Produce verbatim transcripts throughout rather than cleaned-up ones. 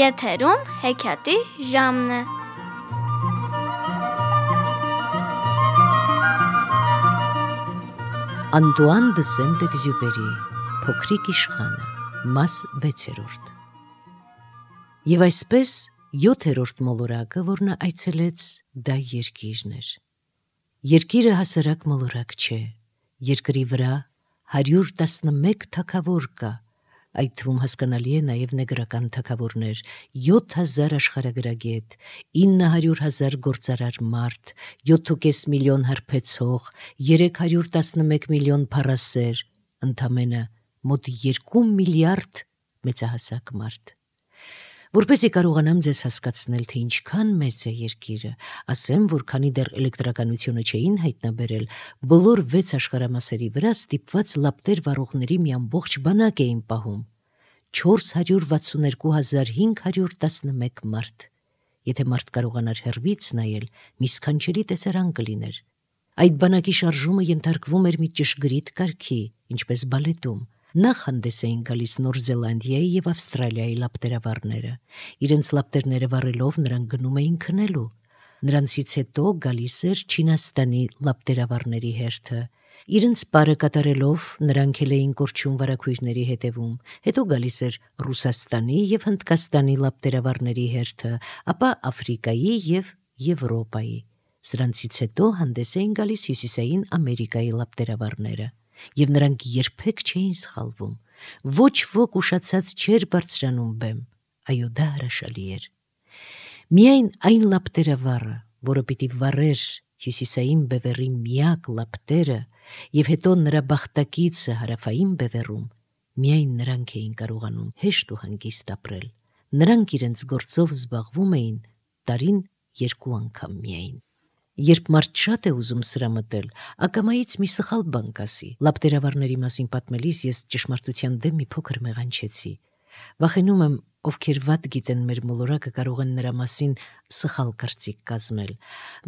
Եթերում հեքիաթի ժամն է։ Անտուան դը Սենտ-Էքզյուպերի Փոքրիկ իշխանը, մաս վեցերորդ։ Եվ այսպես յոթերորդ մոլորակը, որ նա այցելեց, դա երկիրն էր։ Երկիրը հասարակ մոլորակ չէ, երկրի վրա հարյուր տասնմեկ թագավոր կա, այդ թվում հասկանալի է նաև նեգրական թագավորներ, յոթ հազար աշխարհագրագետ, ինը հարյուր հազար գործարար մարդ, յոթուկես միլիոն հարբեցող, երեք հարյուր տասնմեկ միլիոն փառասեր, ընդամենը մոտ երկու միլիարդ մեծահասակ մարդ։ Որպեսզի կարողանամ ձեզ հասկացնել, թե ինչքան մեծ է երկիրը, ասեմ, որ քանի դեռ էլեկտրականությունը չէին հայտնաբերել, բոլոր վեց աշխարհամասերի վրա ստիպված լապտեր վառողների մի ամբողջ բանակ էին պահում՝ չորս հարյուր վաթսուններկու հազար հինգ հարյուր տասնմեկ մարդ։ Եթե մարդ կարողանար հեռվից նայել, մի սքանչելի տեսարան կլիներ։ Այդ բանակի շարժումը ենթարկվում էր մի ճշգրիտ կարգի, ինչպես բալետում։ Նախ հանդես էին գալիս Նոր Զելանդիայի և Ավստրալիայի լապտերավարները։ Իրենց լապտերները վառելով նրանք գնում էին քնելու։ Նրանցից հետո գալիս էր Չինաստանի լապտերավարների հերթը։ Իրենց պարը կատարելով նրանք էլ էին կորչում վարագույրների հետևում։ Հետո գալիս էր Ռուսաստանի և Հնդկաստանի լապտերավարների հերթը, ապա Աֆրիկայի և Եվրոպայի։ Սրանցից հետո հանդես էին գալիս Հյուսիսային Ամերիկայի լապտերավարները։ Եվ նրանք երբեք չէին սխալվում։ Ոչ ոք ուշացած չէր բարձրանում բեմ։ Այո, դա հրաշալի էր։ Միայն այն լապտերավարը, որը պիտի վառեր Հյուսիսային բևեռի միակ լապտերը և հետո նրա բախտակիցը հարավային բևեռում, միայն նրանք էին կարողանում հեշտ ու հանգիստ ապրել։ Նրանք իրենց գործով զբաղվում էին տարին երկու անգամ միայն։ Երբ մարդ շատ է ուզում սրամտել, ակամայից մի սխալ բան կասի։ Լապտերավարների մասին պատմելիս ես ճշմարտության դեմ մի փոքր մեղանչեցի։ Վախենում եմ, ովքեր վատ գիտեն մեր մոլորակը, կարող են նրա մասին սխալ կարծիք կազմել։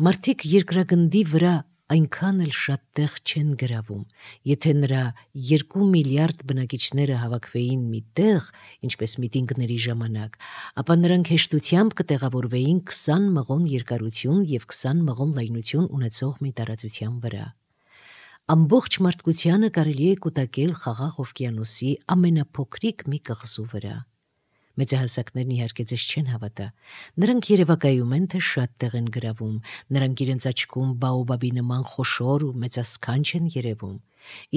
Մարդիկ երկրագնդի վրա այնքան էլ շատ տեղ չեն գրավում։ Եթե նրա երկու միլիարդ բնակիչները հավաքվեին մի տեղ, ինչպես միտինգների ժամանակ, ապա նրանք հեշտությամբ կտեղավորվեին քսան մղոն երկարություն և քսան մղոն լայնություն ունեցող մի տարածության վրա։ Ամբողջ մարդկությանը կարելի է կուտակել Խաղաղ օվկիանոսի ամենափոքրիկ մի կղզու վրա։ Մեծահասակներն իհարկե ձեզ չեն հավատա։ Նրանք երևակայում են, թե շատ տեղ են գրավում, նրանք իրենց աչքում բաոբաբի նման խոշոր ու մեծասքանչ են երևում,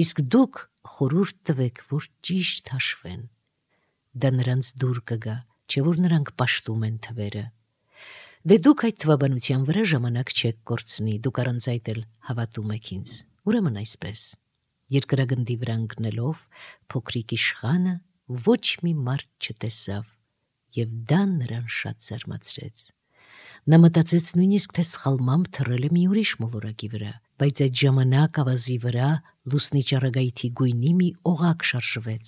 իսկ դուք խորհուրդ տվեք, որ ճիշտ հաշվեն։ Դա նրանց դուր կգա, չէ՞ որ նրանք պաշտում են թվերը։ Դե դուք այդ թվաբանության վրա ժամանակ չեք կորցնի, դուք առանց այդ էլ հավատում եք ինձ։ Ուրեմն այսպես, երկրագնդի վրա ընկնելով, փոքրիկ իշխանը ոչ մի մարդ չտեսավ, և դա նրան շատ զարմացրեց։ Նա մտածեց նույնիսկ, թե սխալմամբ թռել է մի ուրիշ մոլորակի վրա, բայց այդ ժամանակ ավազի վրա լուսնի ճառագայթի գույնի մի օղակ շարժվեց։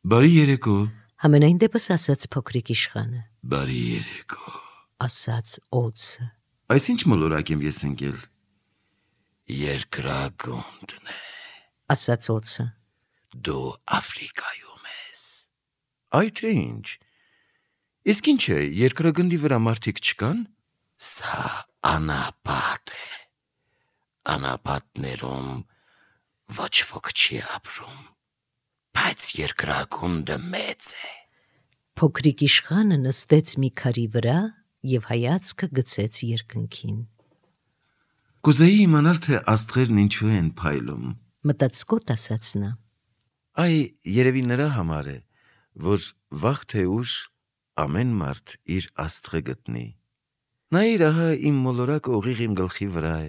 Բարի երեկո, Համենայն դեպս ասաց փոքրիկ իշխանը։ բարի երեկո, Ասաց օձը։ Այս ինչ մոլորակ եմ ես ընկել։ Երկրագունդն է, Ասաց օձը։ Դու Աֆրիկայում ես։ Այ թե ինչ, իսկ ինչ է, երկրագնդի վրա մարդիկ չկան։ Սա անապատ է, անապատներում ոչ ոք չի ապրում, բայց երկրագունդը մեծ է։ Փոքրիկ իշխանը նստեց մի քարի վրա և հայացքը գցեց երկնքին։ Կուզեի իմանալ, թե աստղերն ինչու են փայլում։ Մտածկոտ ասաց նա։ Այ երևի նրա համար է, որ վաղ թե ուշ ամեն մարդ իր աստղը գտնի։ Նայիր, ահա իմ մոլորակը ուղիղ իմ գլխի վրա է,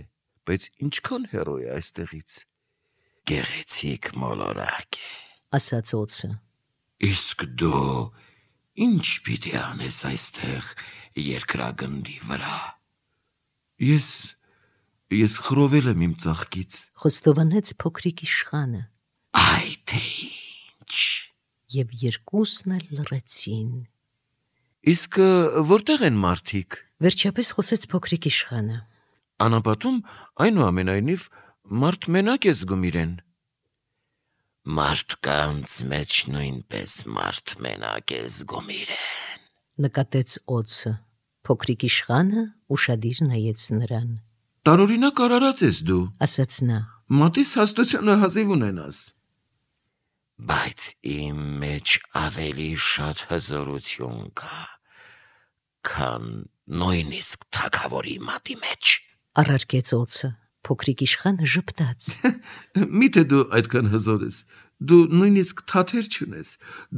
բայց ինչքան հեռու է այստեղից։ Գեղեցիկ մոլորակ է, Ասաց օձը։ Իսկ դու ինչ պիտի անես այստեղ երկրագնդի վրա։ Ես, ես խռովել եմ իմ ծաղկից։ Խոստովանեց փոքրիկ իշխանը։ Այ թե ինչ։ Եվ երկուսն էլ լռեցին։ Իսկ որտեղ են մարդիկ։ Վերջապես խոսեց փոքրիկ իշխանը։ Անապատում այնուամենայնիվ մարդ մենակ է զգում իրեն։ Մարդկանց մեջ նույնպես մարդ մենակ է զգում իրեն, Նկատեց օձը։ Փոքրիկ իշխանը ուշադիր նայեց նրան։ Տարօրինակ արարած ես դու, Ասաց նա։ մատիս հաստությունը հազիվ ունենաս։ Բայց իմ մեջ ավելի շատ հզորություն կա, քան նույնիսկ թագավորի մատի մեջ։ Առարկեց օձը։ Փոքրիկ իշխանը ժպտաց։ Միթե դու այդքան հզոր ես, դու նույնիսկ թաթեր չունես,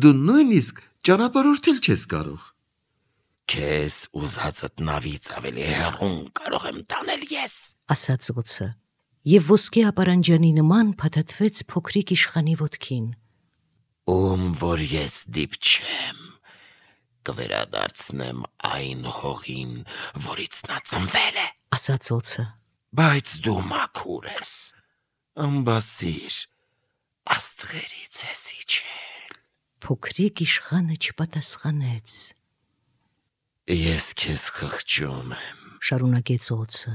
դու նույնիսկ ճանապարհորդել չես կարող։ Քեզ ուզածդ նավից ավելի հեռուն կարող եմ տանել ես, ասաց օձը, եւ ոսկե ապարանջանի նման փաթաթվեց փոքրիկ իշխանի ոտքին։ Ում որ ես դիպչեմ, կվերադարձնեմ այն հողին, որից նա ծնվել է, ասաց օձը։ Բայց դու մաքուր ես, ամբասիր, աստղերից ես իջել։ Փոքրիկ իշխանը չպատասխանեց։ Ես քեզ խղճում եմ, շարունակեց օձը։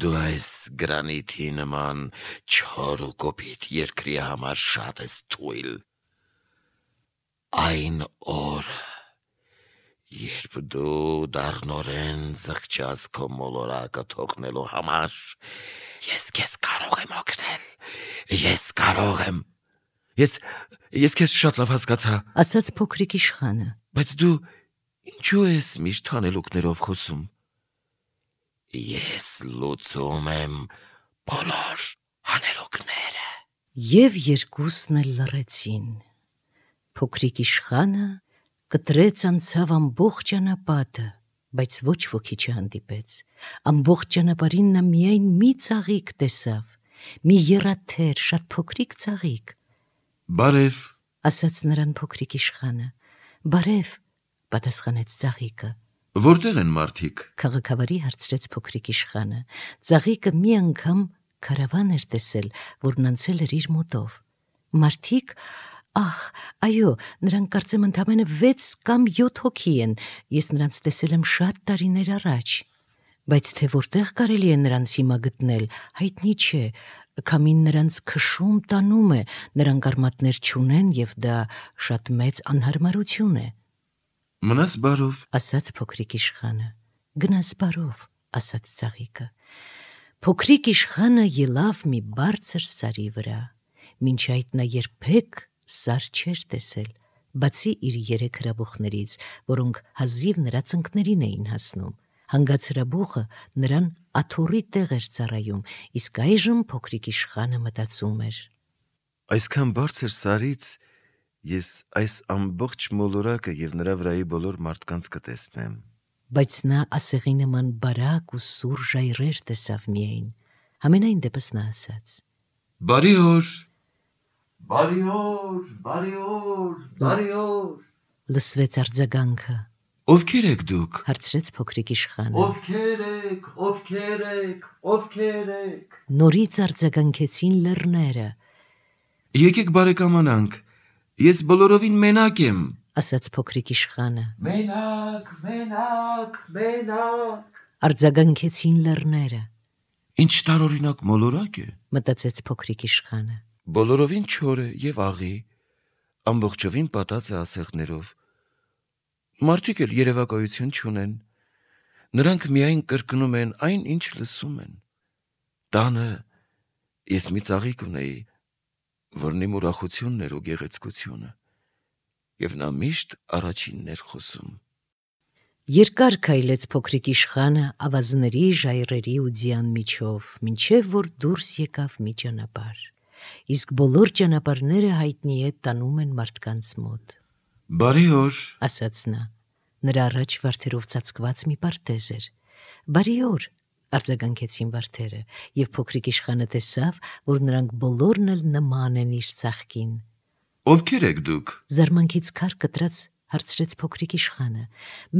Դու այս գրանիթի նման չոր ու կոպիտ երկրի համար շատ ես թույլ։ Այն օրը, երբ դու դառնորեն զղջաս քո մոլորակը թողնելու համար, ես քեզ կարող եմ օգնել, ես կարող եմ։ Ես, ես քեզ շատ լավ հասկացա, ասաց փոքրիկ իշխանը։ Բայց դու ինչու ես միշտ հանելուկներով խոսում։ Ես լուծում եմ բոլոր հանելուկները։ Եվ երկուսն էլ լռեցին։ Փոքրիկ իշխանը կտրեց անցավ ամբողջ ճանապարհը, բայց ոչ ոքի չհանդիպեց։ Ամբողջ ճանապարհին նա միայն մի ծաղիկ տեսավ, մի եռաթեր, շատ փոքրիկ ծաղիկ։ Բարև, ասաց նրան փոքրիկ իշխանը։ Բարև, պատասխանեց ծաղիկը։ Որտեղ են մարդիկ։ Քաղաքավարի հարցրեց փոքրիկ իշխանը։ Ծաղիկը մի անգամ քարավան էր տեսել, որն անցել էր իր մոտով։ Մարդիկ, ախ, այո, նրանք կարծեմ ընդամենը վեց կամ յոթ հոգի են, ես նրանց տեսել եմ շատ տարիներ առաջ։ Բայց թե որտեղ կարելի է նրանց հիմա գտնել, հայտնի չէ, քամին նրանց քշում տանում է, նրանք արմատներ չունեն եւ դա շատ մեծ անհարմարություն է։ Մնաս բարով, ասաց փոքրիկ իշխանը։ Գնաս բարով, ասաց ծաղիկը։ Փոքրիկ իշխանը ելավ մի բարձր սարի վրա։ Մինչ այդ նա երբեք սար չէր տեսել, բացի իր երեք հրաբուխներից, որոնք հազիվ նրա ծնկներին էին հասնում։ Հանգած հրաբուխը նրան աթոռի տեղ էր ծառայում, իսկ այժմ փոքրիկ իշխանը մտածում էր. Այսքան բարձր սարից ես այս ամբողջ մոլորակը եւ նրա վրայի բոլոր մարդկանց կտեսնեմ։ Բայց նա ասեղի նման բարակ ու սուր ժայռեր տեսավ միայն։ Համենայն դեպս նա ասաց. Բարի օր, բարի օր, բարի օր, բարի օր։ Լսվեց արձագանքը։ Ովքեր եք դուք։ Հարցրեց փոքրիկ իշխանը։ Ովքեր եք, ովքեր եք, ովքեր եք։ Նորից արձագանքեցին լեռները։ Եկեք բարեկամանանք, ես բոլորովին մենակ եմ, ասաց փոքրիկ իշխանը։ Մենակ, մենակ, մենակ։ Արձագանքեցին լեռները։ Ինչ տարօրինակ մոլորակ է։ Մտածեց փոքրիկ իշխանը։ Բոլորովին չոր է եւ աղի, ամբողջովին պատած է ասեղներով։ Մարդիկ էլ երևակայություն չունեն, նրանք միայն կրկնում են այն, ինչ լսում են։ Տանը ես մի ծաղիկ ունեի, որն իմ ուրախությունն էր ու գեղեցկությունը, եւ նա միշտ առաջինն էր խոսում։ Երկար քայլեց փոքրիկ իշխանը ավազների, ժայռերի ու ձյան միջով, մինչև որ դուրս եկավ մի ճանապարհ։ Իսկ բոլոր ճանապարհները հայտնի է տանում են մարդկանց մոտ։ Բարի օր, ասաց նա։ Նրա առաջ վարդերով ծածկված մի պարտեզ էր։ Բարի օր, արձագանքեցին վարդերը, եւ փոքրիկ իշխանը տեսավ, որ նրանք բոլորն էլ նման են իր ծաղկին։ Ովքեր եք դուք։ Զարմանքից քար կտրած հարցրեց փոքրիկ իշխանը։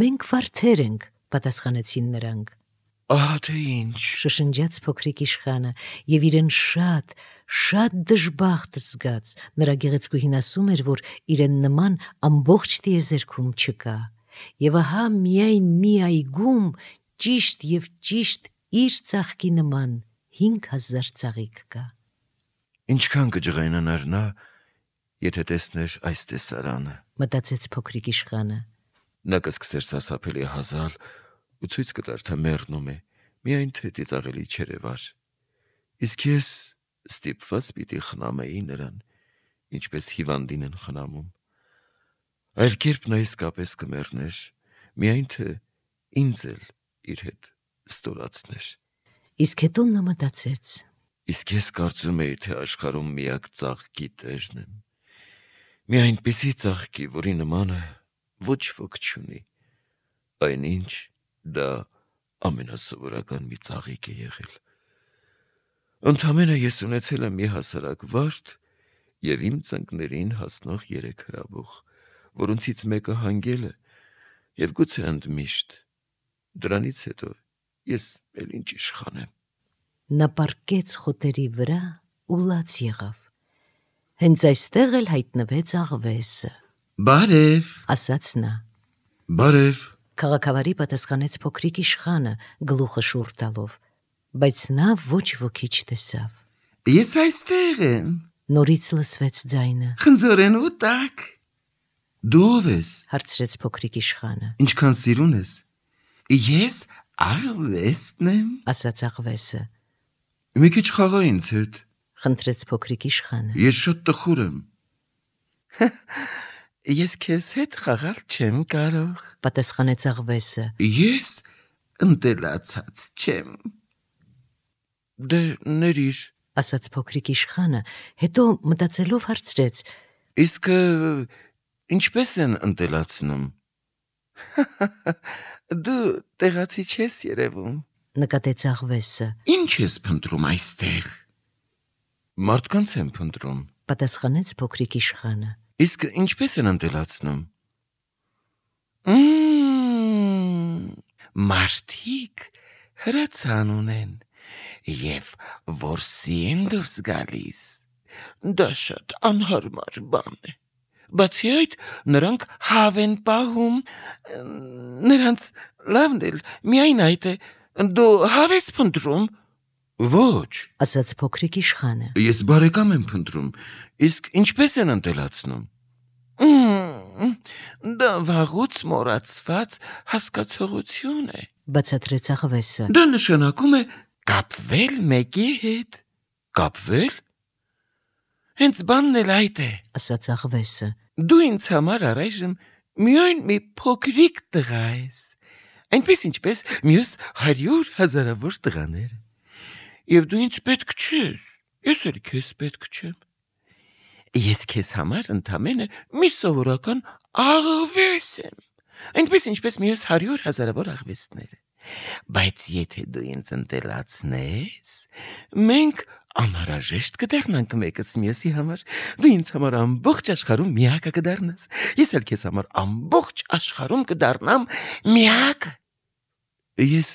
Մենք վարդեր ենք, պատասխանեցին նրանք։ Ահա թե ինչ։ Շշնջաց փոքրիկ իշխանը եւ իրեն շատ, շատ դժբախտ զգաց։ Նրա գեղեցկուհին ասում էր, որ իրեն նման ամբողջ տիեզերքում չկա։ Եվ ահա միայն մի այգում ճիշտ եւ ճիշտ իր ծաղկի նման հինգ հազար ծաղիկ կա։ Ինչքան կջղայնանար նա, եթե տեսներ այս տեսարանը։ Մտածեց փոքրիկ իշխանը։ Նա կսկսեր սարսափելի հազալ ու ցույց կտար, թե մեռնում է, միայն թե ծիծաղելի չերևար։ Իսկ ես ստիպված պիտի խնամեի նրան, ինչպես հիվանդին են խնամում։ Այլ կերպ նա իսկապես կմեռներ, միայն թե ինձ էլ իր հետ ստորացներ։ Իսկ հետո նա մտածեց. Իսկ ես կարծում էի, թե աշխարհում միակ ծաղկի տերն եմ։ Մի այնպիսի ծաղկի, որի նմանը ոչ ոք չունի, այնինչ դա ամենասովորական մի ծաղիկ է եղել։ Ընդամենը ես ունեցել եմ մի հասարակ վարդ և իմ ծնկներին հասնող երեք հրաբուխ, որոնցից մեկը հանգել է և գուցե ընդմիշտ, դրանից հետո ես էլ ինչ իշխան եմ։ Նա պառկեց խոտերի վրա ու լաց եղավ։ Հենց այստեղ էլ հայտնվեց աղվեսը։ Բարև, ասաց նա։ բարև, Քաղաքավարի պատասխանեց փոքրիկ իշխանը գլուխը շուռ տալով, բայց նա ոչ ոքի չտեսավ։ ես այստեղ եմ, Նորից լսվեց ձայնը։ խնձորեն ու տակ։ Դու ով ես, Հարցրեց փոքրիկ իշխանը։ ինչքան սիրուն ես։ Ես աղվեսն եմ։ Ասաց աղվեսը։ Մի քիչ խաղա ինձ հետ, Խնդրեց փոքրիկ իշխանը։ ես շատ տխուր եմ։ Ես քեզ հետ խաղալ չեմ կարող։ Պատասխանեց աղվեսը։ Ես ընտելացած չեմ։ Դե ներիր։ Ասաց փոքրիկ իշխանը, հետո մտածելով հարցրեց. Իսկ ինչպես են ընտելացնում։ Դու տեղացի չես երևում։ Նկատեց աղվեսը։ Ինչ ես փնտրում այստեղ։ Մարդկանց եմ փնտրում։ Պատասխանեց փոքրիկ իշխանը։ Իսկ ինչպես են ընտելացնում։ Մմ, Մարդիկ հրացան ունեն և որսի են դուրս գալիս։ Դա շատ անհարմար բան է։ Բացի այդ, նրանք հավ են պահում, նրանց լավն էլ միայն այդ է։ Դու հավ ես փնտրում։ Ոչ, Ասաց փոքրիկ իշխանը։ ես բարեկամ եմ փնտրում, իսկ ինչպես են ընտելացնում։ Մմ, Դա վաղուց մոռացված հասկացողություն է։ Բացատրեց աղվեսը։ Դա նշանակում է կապվել մեկի հետ։ Կապվել։ Հենց բանն էլ այդ է։ Ասաց աղվեսը։ Դու ինձ համար առայժմ միայն մի փոքրիկ տղա ես, այնպես ինչպես մյուս հարյուր հազարավոր տղաները։ Եվ դու ինձ պետք չես, ես էլ քեզ պետք չեմ։ Ես քեզ համար ընդամենը մի սովորական աղվես եմ, այնպես ինչպես մյուս հարյուր հազարավոր աղվեսները։ Բայց եթե դու ինձ ընտելացնես, մենք անհրաժեշտ կդառնանք մեկս մյուսի համար։ Դու ինձ համար ամբողջ աշխարհում միակը կդառնաս, ես էլ քեզ համար ամբողջ աշխարհում կդառնամ միակը։ Ես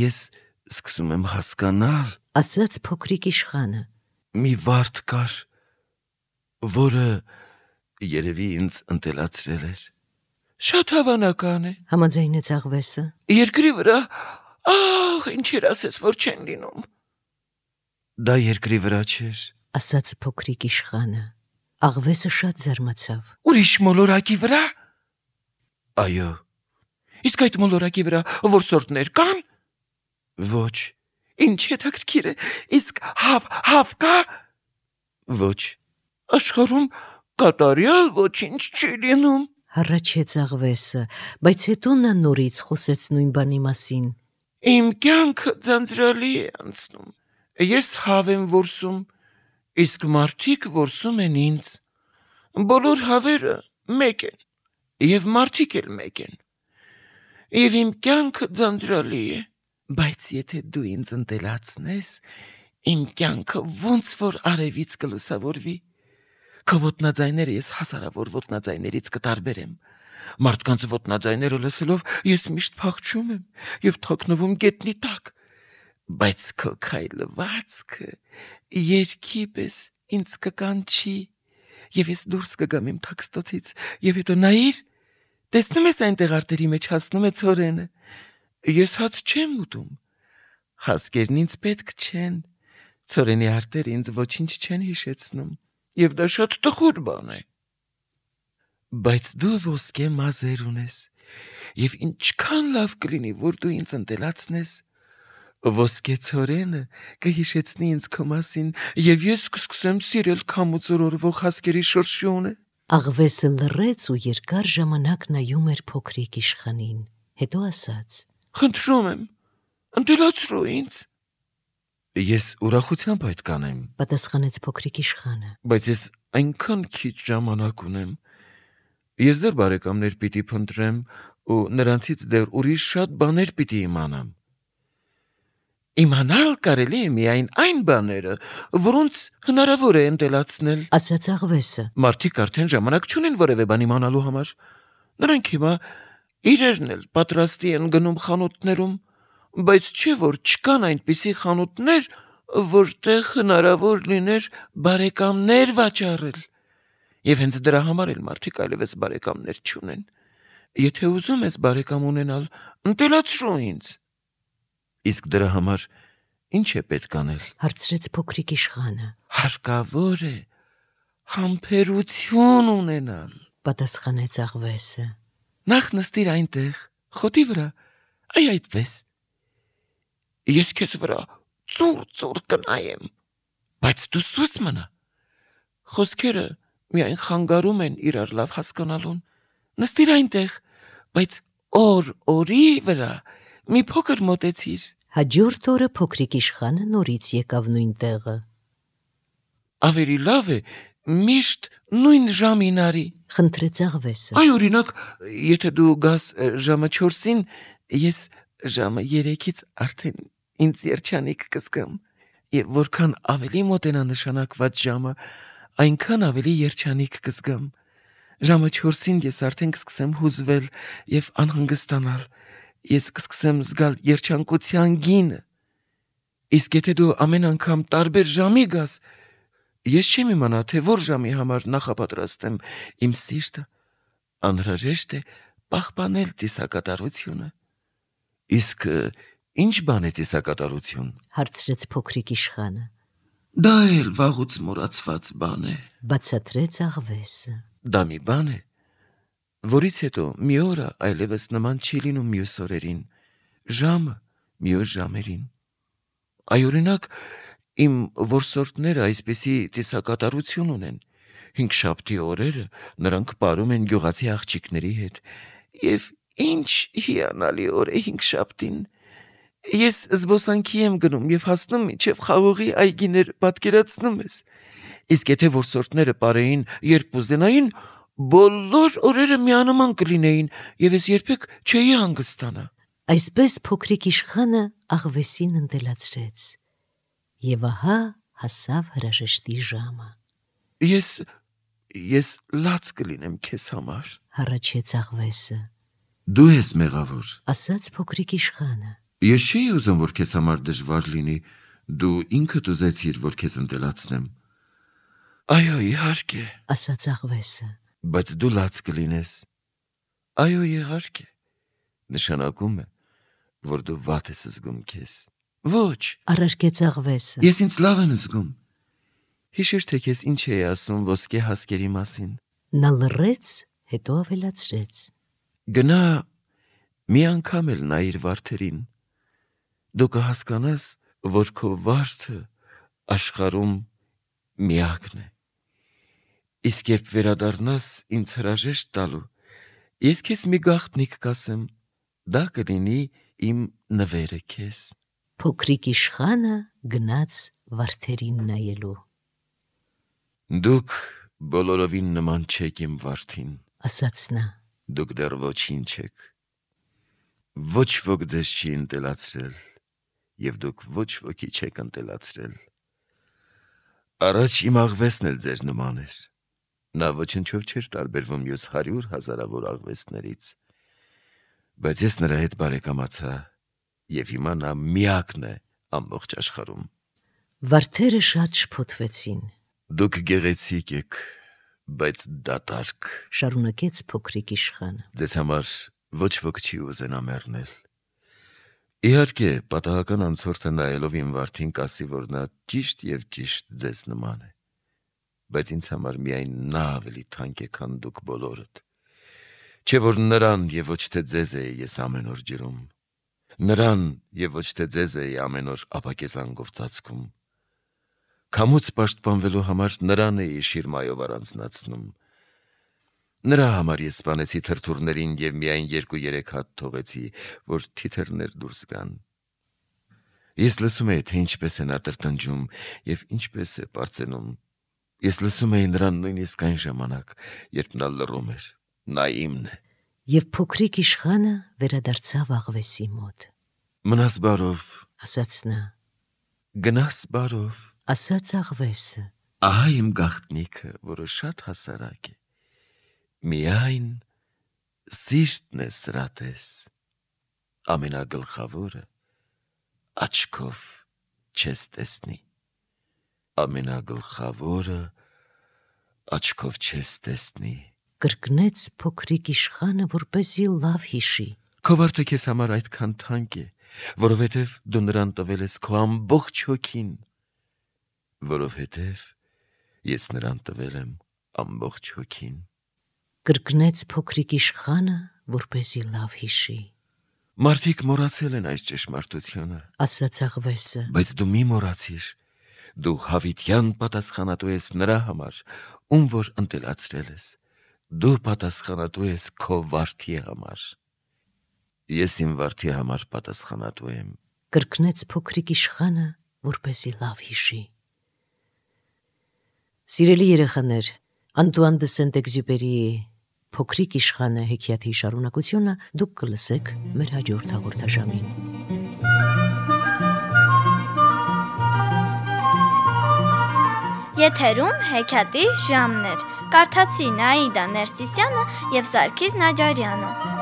ես սկսում եմ հասկանալ։ Ասաց փոքրիկ իշխանը։ Մի վարդ կար, որը երևի ինձ ընտելացրել էր։ Շատ հավանական է։ Համաձայնեց աղվեսը։ Երկրի վրա, ահ, ինչեր ասես, որ չեն լինում։ Դա երկրի վրա չէր։ Ասաց փոքրիկ իշխանը։ Աղվեսը շատ զարմացավ։ Ուրիշ մոլորակի վրա։ Այո։ Իսկ այդ մոլորակի վրա որսորդներ կան։ Ոչ։ Ինչ հետաքրքիր է։ Իսկ հավ, հավ կա։ Ոչ։ Աշխարհում կատարյալ ոչինչ չի լինում։ Հառաչեց աղվեսը, բայց հետո նա նորից խոսեց նույն բանի մասին։ Իմ կյանքը ձանձրալի է անցնում։ Ես հավ եմ որսում, իսկ մարդիկ որսում են ինձ։ Բոլոր հավերը մեկ են, և մարդիկ էլ մեկ են։ Եվ իմ կյանքը ձանձրալի է, բայց եթե դու ինձ ընտելացնես, իմ կյանքը ոնց որ արևից կլուսավորվի։ Քո ոտնաձայները ես հազարավոր ոտնաձայներից կտարբերեմ։ Մարդկանց ոտնաձայները լսելով ես միշտ փախչում եմ և թաքնվում գետնի տակ։ Բայց քո քայլվածքը երգի պես ինձ կկանչի, և ես դուրս կգամ իմ թաքստոցից, և հետո նայիր, տեսնում ես այնտեղ արտերի մեջ հասնում է ցորենը։ Ես հաց չեմ ուտում։ Հասկերն ինձ պետք չեն։ Ցորենի արտերը ինձ ոչինչ չեն հիշեցնում, և դա շատ տխուր բան է։ Բայց դու ոսկե մազեր ունես, եւ ինչքան լավ կլինի, որ դու ինձ ընտելացնես։ Ոսկե ցորենը կհիշեցնի ինձ քո մասին, եւ ես կսկսեմ սիրել քամուց օրորվող հասկերի շրշյունը։ Աղվեսը լռեց ու երկար ժամանակ նայում էր փոքրիկ իշխանին, հետո ասաց. Խնդրում եմ, ընտելացրու ինձ։ Ես ուրախությամբ այդ կանեմ, պատասխանեց փոքրիկ իշխանը։ բայց ես այնքան քիչ ժամանակ ունեմ։ Ես դեռ բարեկամներ պիտի փնտրեմ ու նրանցից դեռ ուրիշ շատ բաներ պիտի իմանամ։ Իմանալ կարելի է միայն այն բաները, որոնց հնարավոր է ընտելացնել, ասաց աղվեսը։ Մարդիկ արդեն ժամանակ չունեն որևէ բան իմանալու համար։ Նրանք հիմա իրերն էլ պատրաստի են գնում խանութներում, բայց չէ որ չկան այնպիսի խանութներ, որտեղ հնարավոր լիներ բարեկամներ վաճառել։ Եվ հենց դրա համար էլ մարդիկ այլևս բարեկամներ չունեն։ Եթե ուզում ես բարեկամ ունենալ, ընտելացրու ինձ։ Իսկ դրա համար ինչ է պետք անել։ Հարցրեց փոքրիկ իշխանը։ Հարկավոր է համբերություն ունենալ, պատասխանեց աղվեսը։ Նախ նստիր այնտեղ, խոտի վրա, այ այդպես։ Ես քեզ վրա ծուր-ծուր կնայեմ, բայց դու սուս մնա։ Խոսքերը միայն խանգարում են իրար լավ հասկանալուն։ Նստիր այնտեղ, բայց օր-օրի վրա մի փոքր մոտեցիր։ Հաջորդ օրը փոքրիկ իշխանը նորից եկավ նույն տեղը։ Ավելի լավ է միշտ նույն ժամին արի։ Խնդրեց աղվեսը։ Այ օրինակ, եթե դու գաս ժամը չորսին, ես ժամը երեքից արդեն ինձ երջանիկ կզգամ, եւ որքան ավելի մոտենա նշանակված ժամը, այնքան ավելի երջանիկ կզգամ։ Ժամը չորսին ես արդեն կսկսեմ հուզվել եւ անհանգստանալ։ Ես կսկսեմ զգալ երջանկության գինը։ Իսկ եթե դու ամեն անգամ տարբեր ժամի գաս, ես չեմ իմանա, թե որ ժամի համար նախապատրաստեմ իմ սիրտը, անհրաժեշտ է պահպանել ծիսակատարությունը։ Իսկ ինչ բան է ծիսակատարություն։ Հարցրեց փոքրիկ իշխանը։ Դա էլ վաղուց մոռացված բան է։ Բացատրեց աղվեսը։ Դա մի բան է, որից հետո մի օրը այլևս նման չի լինում մյուս օրերին, ժամը մյուս ժամերին։ Այ օրինակ, իմ որսորդները այսպիսի ծիսակատարություն ունեն։ Հինգշաբթի օրերը նրանք պարում են գյուղացի աղջիկների հետ։ Եվ ինչ հիանալի օր է հինգշաբթին։ Ես զբոսանքի եմ գնում եւ հասնում մինչեւ խաղողի այգիներ, պատկերացնում ես։ Իսկ եթե որսորդները պարեին, երբ ուզենային, բոլոր օրերը միանման կլինեին եւ ես երբեք չէի հանգստանա։ Այսպես փոքրիկ իշխանը աղվեսին ընտելացրեց։ Եվ ահա հասավ հրաժեշտի ժամը։ Ես ես լաց կլինեմ քեզ համար։ Հառաչեց աղվեսը։ Դու ես մեղավոր, ասաց փոքրիկ իշխանը։ Ես չէի ուզում, որ քեզ համար դժվար լինի, դու ինքդ ուզեցիր, որ քեզ ընտելացնեմ։ Այո, իհարկե, ասաց աղվեսը։ Բայց դու լաց կլինես։ Այո, իհարկե, նշանակում է, որ դու վատ ես զգում քեզ։ Ոչ, առարկեց աղվեսը։ Ես ինձ լավ եմ զգում։ Հիշիր, թե քեզ ինչ էի ասում ոսկե հասկերի մասին։ Նա լռեց, հետո ավելացրեց. Գնա մի անգամ էլ նայիր վարդերին։ Դու կհասկանաս, որ քո վարդը աշխարհում միակն է։ Իսկ երբ վերադառնաս ինձ հրաժեշտ տալու, ես քեզ մի գաղտնիք կասեմ, դա կլինի իմ նվերը քեզ։ Փոքրիկ իշխանը գնաց վարդերին նայելու։ Դուք բոլորովին նման չեք իմ վարդին, ասաց նա։ Դուք դեռ ոչինչ եք։ Ոչ ոք ձեզ չի ընտելացրել, եւ դուք ոչ ոքի չեք ընտելացրել։ Առաջ իմ աղվեսն էլ ձեր նման էր։ Նա ոչնչով չէր տարբերվում մյուս հարյուր հազարավոր աղվեսներից, բայց ես նրա հետ բարեկամացա, եւ հիմա նա միակն է ամբողջ աշխարհում։ Վարդերը շատ շփոթվեցին։ Դուք գեղեցիկ եք, բայց դատարկ, շարունակեց փոքրիկ իշխանը։ Ձեզ համար ոչ ոք չի ուզենա մեռնել։ Իհարկե, պատահական անցորդը նայելով իմ վարդին կասի, որ նա ճիշտ եւ ճիշտ ձեզ նման է։ բայց ինձ համար միայն նա ավելի թանկ է, քան դուք բոլորդ։ Չէ որ նրան եւ ոչ թե ձեզ է ես ամեն օր ջրում, նրան եւ ոչ թե ձեզ է ամեն օր ապակեզանգով ծածկում։ Քամուց պաշտպանվելու համար նրան է շիրմայով առանձնացնում։ Նրա համար ես սպանեցի թրթուրներին եւ միայն երկու-երեք հատ թողեցի, որ թիթեռներ դուրս գան։ Ես լսում էի, թե ինչպես է նա տրտնջում եւ ինչպես է պարծենում։ Ես լսում էի նրան նույնիսկ այն ժամանակ, երբ նա լռում էր։ Նա իմն է։ Եվ փոքրիկ իշխանը վերադարձավ աղվեսի մոտ։ Մնաս բարով, ասաց նա, գնաս բարով, ասաց աղվեսը։ Ահա իմ գաղտնիքը, որը շատ հասարակ է։ Միայն սիրտն է սրատես, ամենագլխավորը աչքով չես տեսնի, ամենագլխավորը աչքով չես տեսնի։ Կրկնեց փոքրիկ իշխանը, որպեսզի լավ հիշի։ Քո վարդը քեզ համար այդքան թանկ է, որովհետև դու նրան տվել ես քո ամբողջ հոգին, որովհետև ես նրան տվել եմ ամբողջ հոգին։ Կրկնեց փոքրիկ իշխանը, որպեսզի լավ հիշի։ Մարդիկ մոռացել են այս ճշմարտությունը, ասաց աղվեսը, բայց դու մի մոռացիր, դու հավիտյան պատասխանատու ես նրա համար, ում որ ընտելացրել ես, դու պատասխանատու ես քո վարդի համար։ Ես իմ վարդի համար պատասխանատու եմ։ Կրկնեց փոքրիկ իշխանը, որպեսզի լավ հիշի։ Սիրելի երեխաներ, Անտուան դը Սենտեքզյուպերիի Փոքրիկ իշխանը հեքիաթի շարունակությունը դուք կլսեք մեր հաջորդ հաղորդաշարին։ Եթերում հեքիաթի ժամն էր։ Կարդացի Նաիդա Ներսիսյանը եւ Սարգիս Նաջարյանը։